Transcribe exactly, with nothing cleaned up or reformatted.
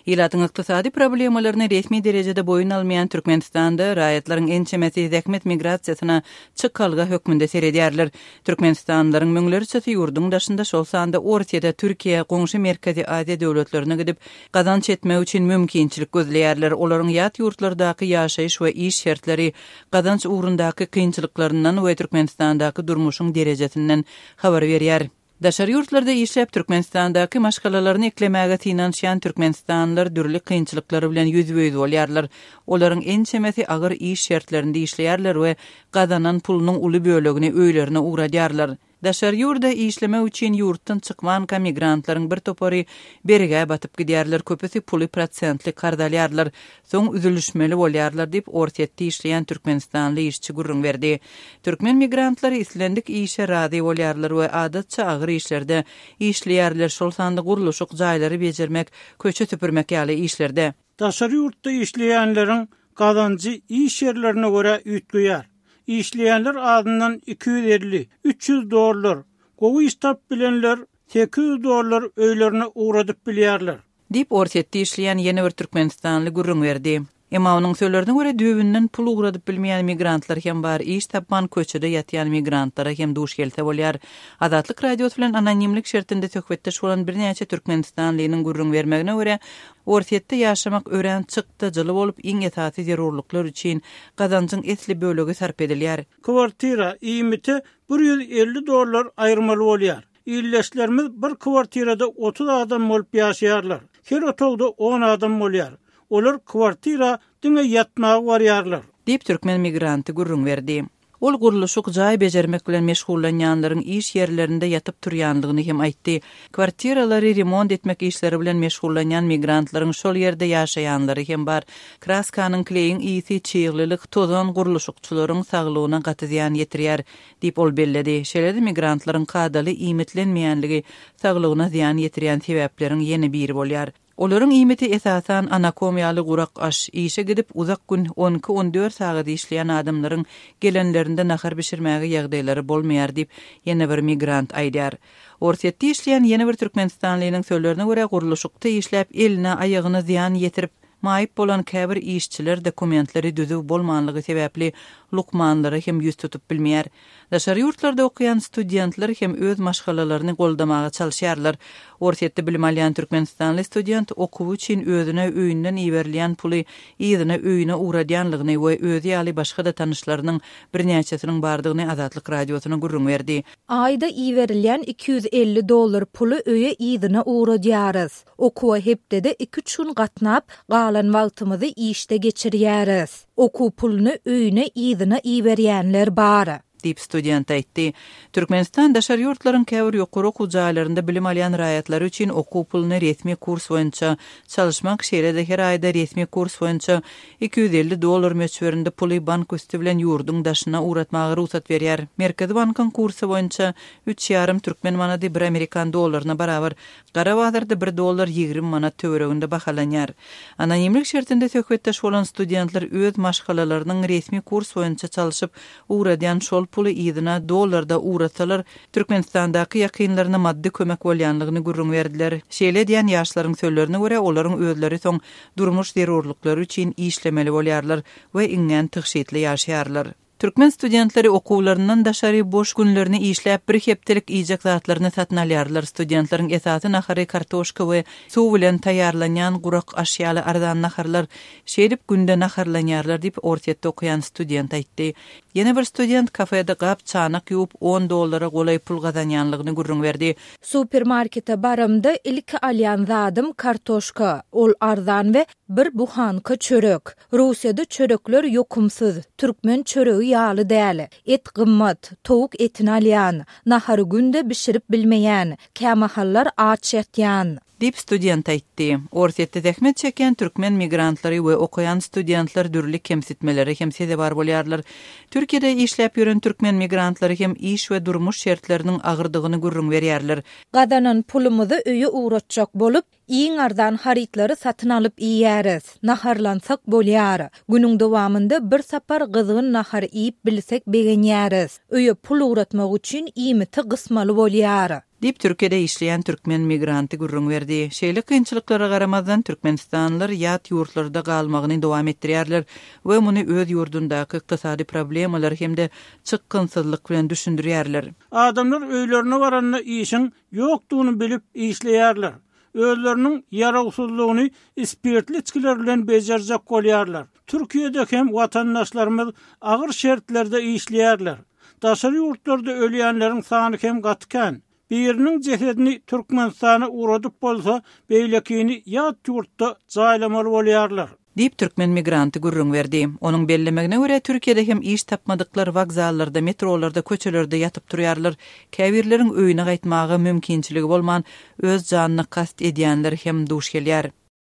Ilatyň ykdysady problemalaryny resmi derejede boýun almaýan Türkmenistanda raýatlaryň ençemesi zähmet migrasiýasyna çykalga hökmünde seredýärler. Türkmenistanlylaryň müňlerçesi ýurduň daşynda, şol sanda Orsýete, Türkiýä, goňşy Merkezi Aziýa döwletlerine gidip, gazanç etmek üçin mümkinçilik gözleýärler. Olaryň ýat ýurtlardaky ýaşaýyş we iş şertleri, gazanç ugrundaky kynçylyklaryndan we Türkmenistandaky durmuşyň derejesinden habar berýär. Daşary ýurtlarda işläp Türkmenistandaky maşgalalaryny eklemäge synanyşýan türkmenistanlylar dürli kynçylyklary bilen ýüzbe-ýüz bolýarlar. Olaryň ençemesi agyr iş şertlerinde işleýärler we gazanan pulunyň uly bölegini öýlerine ugradýarlar. Daşary ýurda işlemek üçin ýurtdan çykmanka migrantlaryň bir topary bergä batyp gidýärler, köpüsi puly prosentli karz alýarlar, soň üzülişmeli bolýarlar diýip Orsýetde işleýän türkmenistanly işçi gürrüň berdi. Türkmen migrantlary islendik işe razy bolýarlar we adatça agyr işlerde işleýärler, şol sanda gurluşyk, jaýlary bejermek, köçe süpürmek ýaly işlerde. Daşary ýurtda işleýänleriň gazanjy iş ýerlerine görä üýtgeýär. Işleýänler azyndan iki ýüz elli, üç ýüz dollar, gowy iş tapyp bilenler sekiz ýüz dollar öýlerine ugradyp bilýärler. Diýip Orsýetde işleýän ýene bir türkmenistanly gürrüň berdi. Emma onuň sözlerine görä düýbünden pul ugradyp bilmeýän migrantlar hem bar, iş tapman köçede ýatýan migrantlara hem duş gelse bolýar. Azatlyk Radiosy bilen anonimlik şertinde söhbetdeş bolan birnäçe türkmenistanlynyň gürrüň bermegine görä, Orsýetde ýaşamak örän çykdajyly bolup, iň esasy zerurlyklar üçin gazanjyň esli bölegi sarp edilýär. Kwartira iýmite bir ýüz elli dollar aýyrmaly bolýar. Illeşlerimiz bir kwartirada otuz adam bolup ýaşaýarlar. Her otagda on adam bolýar. Olar kwartira diňe ýatmaga barýarlar. Diýip türkmen migranty gürrüň berdi. Ol gurluşyk jaý bejermek bilen meşgullanýanlaryň iş ýerlerinde ýatyp turýanlygyny hem aýtdy. Kwartiralary remont etmek işleri bilen meşgullanýan migrantlaryň şol ýerde ýaşaýanlary hem bar. Kraskanyň kleýiň ýiti çyglylyk tozan gurluşykçylaryň saglygyna gaty zyýan ýetirýär, diýip ol belledi. Şeýle-de migrantlaryň kadaly iýmitlenmeýänligi saglygyna zyýan ýetirýän sebäpleriň ýene biri bolýar. Olaryň iýmiti esasan anakom ýaly gurak aş, işe gidip uzak gün on iki on dört sagat işleýän adamlaryň gelenlerinde nahar bişirmäge ýagdaýlary bolmaýar diýip ýene bir migrant aýdýar. Orsýetde işleýän ýene bir türkmenistanlynyň sözlerine görä gurluşykda işläp eline aýagyna zyýan ýetirip maýyp bolan käbir işçiler dokumentleri düzüw bolmanlygy sebäpli lukmanlara hem ýüz tutup bilmeýär. Daşary ýurtlarda okaýan studentler hem öz maşgalalaryny goldamaga çalyşýarlar. Orsýetde bilim alýan türkmenistanly student okuwy üçin özüne öýünden iberilýän puly yzyna öýüne ugradýanlygyny we özi ýaly başga-da tanyşlarynyň birnäçesiniň bardygyny Azatlyk Radiosyna gürrüň berdi. Aýda iberilýän iki ýüz elli dollar puly öýe yzyna ugradýarys. Okuwa hepdede iki üç gün gatnap, galan wagtymyzy işde geçirýäris. Okuw puluny öýüne yzyna iberýänler bar. Diýip student aýtdy. Türkmenistan daşary ýurtlaryň käbir ýokary okuw jaýlarynda bilim alýan raýatlary üçin okuw puluny resmi kurs boýunça çalyşmak, şeýle-de her aýda resmi kurs boýunça iki ýüz elli dollar möçberinde puly bank üsti bilen ýurduň daşyna ugratmaga rugsat berýär. Merkezi bankyň kursy boýunça üç ýarym türkmen manady bir amerikan dollaryna barabar, gara bazarda bir dollar ýigrimi manat töwereginde bahalanýar. Anonimlik şertinde söhbetdeş bolan studentler öz maşgalalarynyň resmi kurs boýunça çalyşyp ugradýan şol puly yzyna dollarda ugratsalar, Türkmenistandaky ýakynlaryna maddy kömek bolýanlygyny gürrüň berdiler. Şeýle diýen ýaşlaryň sözlerine görä olaryň özleri soň durmuş zerurlyklary üçin işlemeli bolýarlar we iňňän tygşytly ýaşaýarlar. Türkmen studentleri okuwlaryndan daşary boş günlerini işläp bir hepdelik iýjek zatlaryny satyn alýarlar. Studentleriň esasy nahary kartoşka we suw bilen taýýarlanýan gurak aş ýaly arzan naharlar şeýdip günde naharlanýarlar diýip Orsýetde okaýan student aýtdy. Ýene bir student kafede gap çanak ýuwup on dollara golaý pul gazanýanlygyny gürrüň berdi. Supermarkete baramda ilki alýan zadym kartoşka, ol arzan we bir buhanka çörek. Russiýada çörekler ýokumsyz, türkmen çöregi ýaly däl. Et gymmat, towuk etini alýan, nahary günde bişirip bilmeýän, kämahallar aç ýatýan. Diýip student aýtdy. Orsýetde zähmet çekýän türkmen migrantlary we okaýan studentler dürli kemsitmelere hem sezewar bolýarlar. Türkiýede işläp ýören türkmen migrantlary hem iş we durmuş şertleriniň agyrdygyny gürrüň berýärler. Gazanan pulumyzy öýe ugratjak bolup, iň arzan harytlary satyn alyp iýýäris. Naharlansak bolýar. Günüň dowamynda bir sapar gyzgyn nahar iýip bilsek begenýäris. Öýe pul ugratmak üçin iýmiti gysmaly bolýar. Diýip, Türkiýede işleýän türkmen migranty gürrüň berdi. Şeýle kynçylyklara garamazdan, türkmenistanlylar ýat ýurtlarda galmagyny dowam etdirýärler we muny öz ýurdundaky ykdysady problemalar hem-de çykgynsyzlyk bilen düşündirýärler. Adamlar öýlerine baranda işiň ýokdugyny bilip işleýärler. Özleriniň ýarawsyzlygyny spirtli içgiler bilen bejerjek bolýarlar. Türkiýede hem watandaşlarymyz agyr şertlerde işleýärler. Daşary ýurtlarda ölýänleriň sany hem gaty kän. Biriniň jesedini Türkmenistana ugradyp bolsa, beýlekini ýat ýurtda jaýlamaly bolýarlar. Diýip, türkmen migranty gürrüň berdi. Onuň bellemegine görä, Türkiýede hem iş tapmadyklar wokzallarda, metrolarda, köçelerde ýatyp turýarlar. Käbirleriň öýüne gaýtmaga mümkinçiligi bolman, öz janyna kast edýänler hem duş gelýär.